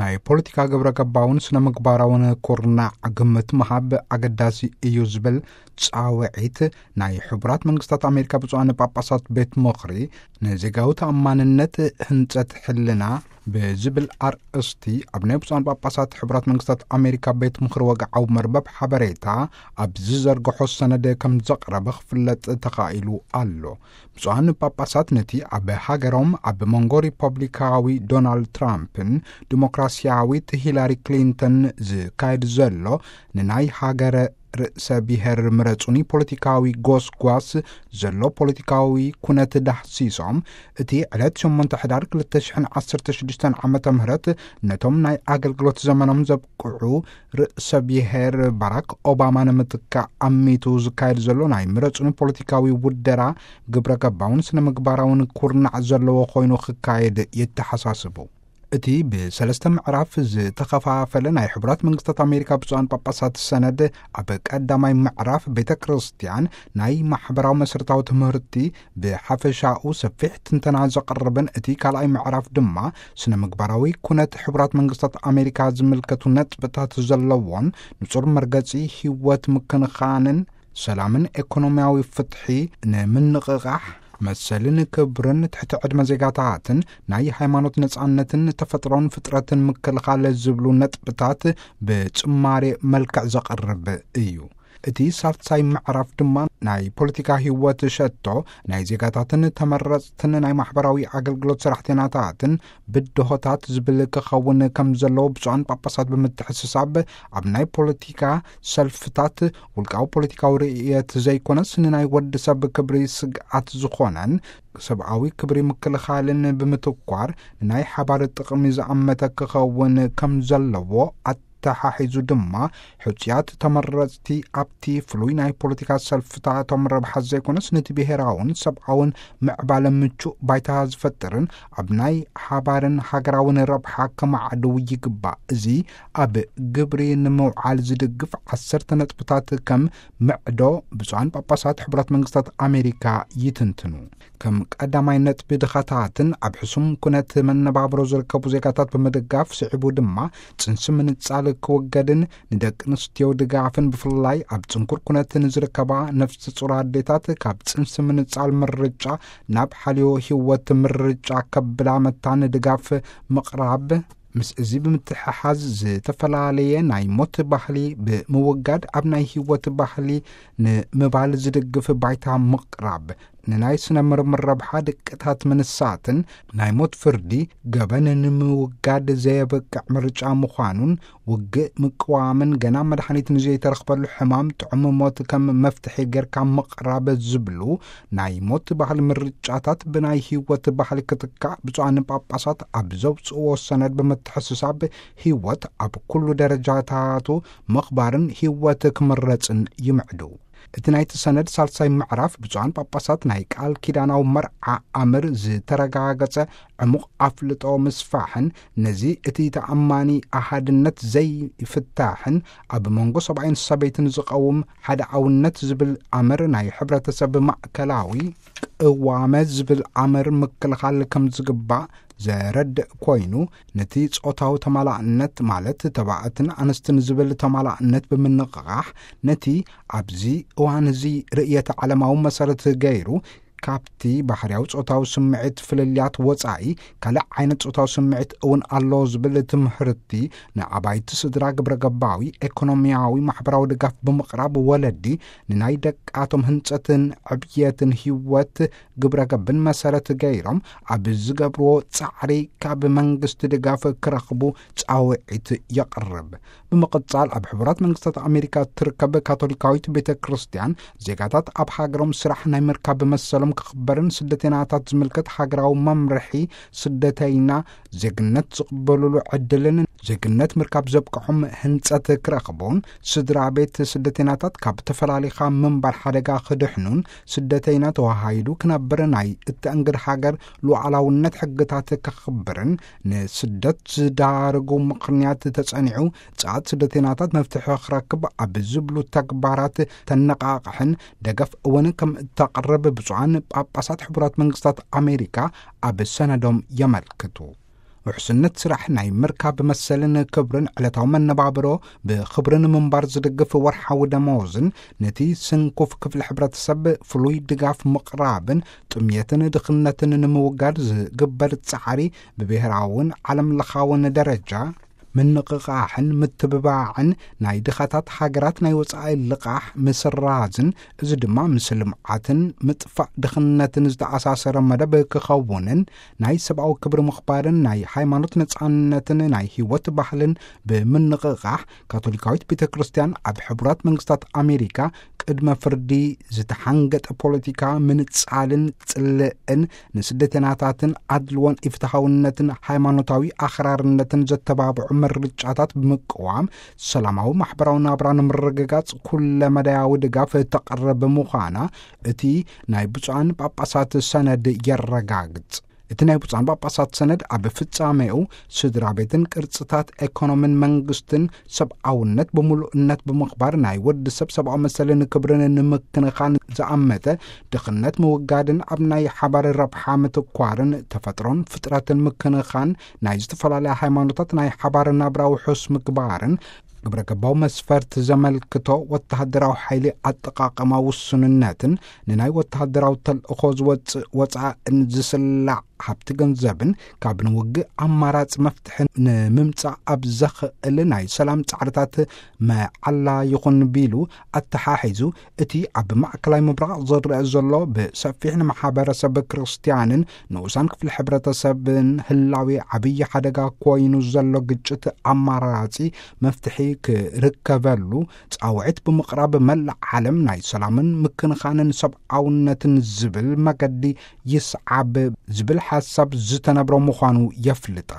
ናይ ፖለቲካ ግብረ ገባውን ስነ ምግባራውን ኩርናዕ ግምት ምሃብ ኣገዳሲ እዩ ዝብል ጻውዒት ናይ ሕቡራት መንግስታት ኣሜሪካ ብፁዓን ጳጳሳት ቤት ምኽሪ ንዜጋዊ ተኣማንነት ህንጸት ሕልና ብዝብል ኣርእስቲ ኣብ ናይ ብፁዓን ጳጳሳት ሕቡራት መንግስታት ኣሜሪካ ቤት ምኽሪ ወግዓዊ መርበብ ሓበሬታ ኣብ ዝዘርግሖ ሰነድ ከም ዘቕረበ ክፍለጥ ተኻኢሉ ኣሎ። ብፁዓን ጳጳሳት ነቲ ኣብ ሃገሮም ኣብ መንጎ ሪፐብሊካዊ ዶናልድ ትራምፕን ዲሞክራሲያዊት ሂላሪ ክሊንተን ዝካየድ ዘሎ ንናይ ሃገረ ርእሰ ብሔር ምረጹኒ ፖለቲካዊ ጎስጓስ ዘሎ ፖለቲካዊ ኩነት ዳህሲሶም፣ እቲ ዕለት ሸሞንተ ሕዳር ክልተ ሽሕን ዓሰርተ ሽዱሽተን ዓመተ ምህረት ነቶም ናይ ኣገልግሎት ዘመኖም ዘብቅዑ ርእሰ ብሔር ባራክ ኦባማ ንምትካእ ኣሚቱ ዝካየድ ዘሎ ናይ ምረጹኒ ፖለቲካዊ ውደራ ግብረ ገባውን ስነ ምግባራውን ኩርናዕ ዘለዎ ኮይኑ ክካየድ የተሓሳስቡ። እቲ ብሰለስተ ምዕራፍ ዝተኸፋፈለ ናይ ሕቡራት መንግስታት ኣሜሪካ ብፁዓን ጳጳሳት ሰነድ ኣብ ቀዳማይ ምዕራፍ ቤተ ክርስቲያን ናይ ማሕበራዊ መሰረታዊ ትምህርቲ ብሓፈሻኡ ሰፊሕ ትንተና ዘቕርብን እቲ ካልኣይ ምዕራፍ ድማ ስነ ምግባራዊ ኩነት ሕቡራት መንግስታት ኣሜሪካ ዝምልከቱ ነጥብታት ዘለዎን ንጹር መርገጺ ህይወት ምክንኻንን ሰላምን ኤኮኖሚያዊ ፍትሒ ንምንቕቓሕ መሰልን ክብርን ትሕቲ ዕድመ ዜጋታትን ናይ ሃይማኖት ነጻነትን ተፈጥሮን ፍጥረትን ምክልኻል ዝብሉ ነጥብታት ብጭማሪ መልክዕ ዘቕርብ እዩ። እቲ ሳልሳይ ምዕራፍ ድማ ናይ ፖለቲካ ህይወት ሸቶ ናይ ዜጋታትን ተመረጽትን ናይ ማሕበራዊ ኣገልግሎት ሰራሕተኛታትን ብድሆታት ዝብል ክኸውን ከም ዘለዎ ብፁዓን ጳጳሳት ብምትሕስሳብ ኣብ ናይ ፖለቲካ ሰልፍታት ውልቃዊ ፖለቲካዊ ርእየት ዘይኮነስ ንናይ ወዲ ሰብ ክብሪ ስግኣት ዝኾነን ሰብኣዊ ክብሪ ምክልኻልን ብምትኳር ንናይ ሓባር ጥቕሚ ዝኣመተ ክኸውን ከም ዘለዎ ኣተሓሒዙ ድማ ሕጹያት ተመረጽቲ ኣብቲ ፍሉይ ናይ ፖለቲካ ሰልፍታቶም ረብሓ ዘይኮነስ ነቲ ብሔራውን ሰብኣውን ምዕባለ ምቹእ ባይታ ዝፈጥርን ኣብ ናይ ሓባርን ሃገራውን ረብሓ ከማዕድው ይግባእ። እዚ ኣብ ግብሪ ንምውዓል ዝድግፍ ዓሰርተ ነጥብታት ከም ምዕዶ ብፁዓን ጳጳሳት ሕቡራት መንግስታት ኣሜሪካ ይትንትኑ። ከም ቀዳማይ ነጥቢ ድኻታትን ኣብ ሕሱም ኩነት መነባብሮ ዝርከቡ ዜጋታት ብምድጋፍ ስዒቡ ድማ ጽንሲ ምንጻል ክወገድን ንደቂ ኣንስትዮ ድጋፍን ብፍላይ ኣብ ጽንኩር ኩነት ንዝርከባ ነፍሲ ጹር ኣዴታት ካብ ጽንሲ ምንጻል ምርጫ ናብ ሓልዮ ህይወት ምርጫ ከብላ መታን ድጋፍ ምቕራብ ምስ እዚ ብምትሕሓዝ ዝተፈላለየ ናይ ሞት ባህሊ ብምውጋድ ኣብ ናይ ህይወት ባህሊ ንምባል ዝድግፍ ባይታ ምቕራብ ንናይ ስነ ምርምር ረብሓ ድቅታት ምንሳትን ናይ ሞት ፍርዲ ገበን ንምውጋድ ዘየበቅዕ ምርጫ ምዃኑን ውግእ ምቅዋምን ገና መድሓኒት ንዘይተረኽበሉ ሕማም ጥዑም ሞት ከም መፍትሒ ጌርካ ምቕራብ ዝብሉ ናይ ሞት ባህል ምርጫታት ብናይ ህይወት ባህል ክትካእ ብፁዓን ጳጳሳት ኣብ ዘውፅእዎ ሰነድ ብምትሕስሳብ ህይወት ኣብ ኩሉ ደረጃታቱ ምኽባርን ህይወት ክምረፅን ይምዕዱ። እቲ ናይቲ ሰነድ ሳልሳይ ምዕራፍ ብፁዓን ጳጳሳት ናይ ቃል ኪዳናዊ መርዓ ኣምር ዝተረጋገጸ ዕሙቕ ኣፍልጦ ምስፋሕን ነዚ እቲ ተኣማኒ ኣሃድነት ዘይፍታሕን ኣብ መንጎ ሰብኣይን ሰበይትን ዝቐውም ሓደ ኣውነት ዝብል ኣምር ናይ ሕብረተሰብ ማእከላዊ ቅዋመ ዝብል ኣምር ምክልኻል ከም ዝግባእ ዘረድእ ኮይኑ፣ ነቲ ጾታዊ ተማላእነት ማለት ተባዕትን ኣንስትን ዝብል ተማላእነት ብምንቕቓሕ ነቲ ኣብዚ እዋን እዚ ርእየተ ዓለማዊ መሰረት ገይሩ ካብቲ ባህርያዊ ጾታዊ ስምዒት ፍልልያት ወጻኢ ካልእ ዓይነት ጾታዊ ስምዒት እውን ኣሎ ዝብል ትምህርቲ ንኣባይቲ ስድራ ግብረ ገባዊ ኤኮኖሚያዊ ማሕበራዊ ድጋፍ ብምቕራብ ወለዲ ንናይ ደቃቶም ህንጸትን ዕብየትን ህይወት ግብረ ገብን መሰረት ገይሮም ኣብ ዝገብርዎ ጻዕሪ ካብ መንግስቲ ድጋፍ ክረኽቡ ጻውዒት የቕርብ። ብምቕጻል ኣብ ሕቡራት መንግስታት ኣሜሪካ እትርከብ ካቶሊካዊት ቤተ ክርስቲያን ዜጋታት ኣብ ሃገሮም ስራሕ ናይ ምርካብ መሰሎም ክኽበርን ስደተይናታት ዝምልከት ሃገራዊ መምርሒ ስደተይና ዜግነት ዝቕበሉሉ ዕድልን ዜግነት ምርካብ ዘብቅሖም ህንጸት ክረኽቡን ስድራ ቤት ስደተይናታት ካብ ተፈላሊኻ ምንባር ሓደጋ ክድሕኑን ስደተይና ተዋሃሂዱ ክነብር ናይ እተእንግድ ሃገር ሉዓላውነት ሕግታት ከኽብርን ንስደት ዝዳርጉ ምኽንያት ተጸኒዑ ጻት ስደተይናታት መፍትሒ ክረክብ ኣብ ዝብሉ ተግባራት ተነቓቕሕን ደገፍ እውን ከም እተቕርብ ብፁዓን ጳጳሳት ሕቡራት መንግስታት ኣሜሪካ ኣብ ሰነዶም የመልክቱ። ውሕስነት ስራሕ፣ ናይ ምርካብ መሰልን ክብርን፣ ዕለታዊ መነባብሮ ብኽብርን ምንባር ዝድግፍ ወርሓዊ ደመወዝን፣ ነቲ ስንኩፍ ክፍሊ ሕብረተሰብ ፍሉይ ድጋፍ ምቕራብን፣ ጥምየትን ድኽነትን ንምውጋድ ዝግበር ጻዕሪ ብብሔራውን ዓለም ለኻውን ደረጃ ምንቕቓሕን ምትብባዕን፣ ናይ ድኻታት ሃገራት ናይ ወጻኢ ልቓሕ ምስራዝን፣ እዚ ድማ ምስ ልምዓትን ምጥፋእ ድኽነትን ዝተኣሳሰረ መደብ ክኸውንን፣ ናይ ሰብኣዊ ክብሪ ምኽባርን ናይ ሃይማኖት ነጻነትን ናይ ህይወት ባህልን ብምንቕቓሕ፣ ካቶሊካዊት ቤተ ክርስቲያን ኣብ ሕቡራት መንግስታት ኣሜሪካ ቅድመ ፍርዲ ዝተሓንገጠ ፖለቲካ ምንጻልን ጽልእን፣ ንስደተናታትን ኣድልዎን ኢፍትሓውነትን ሃይማኖታዊ ኣኽራርነትን ዘተባብዑ ምርጫታት ብምቅዋም፣ ሰላማዊ ማሕበራዊ ናብራ ንምርግጋጽ ኩለ መዳያዊ ድጋፍ ተቕርብ ምዃና እቲ ናይ ብፁዓን ጳጳሳት ሰነድ የረጋግጽ። እቲ ናይ ብፁዓን ጳጳሳት ሰነድ ኣብ ፍጻሜኡ፣ ስድራ ቤትን ቅርጽታት ኤኮኖምን መንግስትን ሰብኣውነት ብምሉእነት ብምኽባር፣ ናይ ወዲ ሰብ ሰብኣዊ መሰልን ክብርን ንምክንኻን ዝኣመተ፣ ድኽነት ምውጋድን ኣብ ናይ ሓባር ረብሓ ምትኳርን፣ ተፈጥሮን ፍጥረትን ምክንኻን፣ ናይ ዝተፈላለያ ሃይማኖታት ናይ ሓባር ናብራ ውሑስ ምግባርን፣ ግብረ ገባዊ መስፈርት ዘመልክቶ ወተሃደራዊ ሓይሊ ኣጠቓቕማ ውሱንነትን፣ ንናይ ወተሃደራዊ ተልእኾ ዝወጽእ ወጻእን ዝስላዕ ሃብቲ ገንዘብን፣ ካብ ንውግእ ኣማራጺ መፍትሒ ንምምጻእ ኣብ ዘኽእል ናይ ሰላም ጻዕርታት መዓላ ይኹን ቢሉ ኣተሓሒዙ፣ እቲ ኣብ ማእከላይ ምብራቕ ዝረአ ዘሎ ብሰፊሕ ንማሕበረሰብ ክርስትያንን ንኡሳን ክፍሊ ሕብረተሰብን ህላዌ ዓብዪ ሓደጋ ኮይኑ ዘሎ ግጭት ኣማራጺ መፍትሒ ክርከበሉ ጻውዒት ብምቕራብ፣ መላእ ዓለም ናይ ሰላምን ምክንኻንን ሰብኣውነትን ዝብል መገዲ ይስዓብ ዝብል ሓሳብ ዝተነብሮ ምዃኑ የፍልጣ።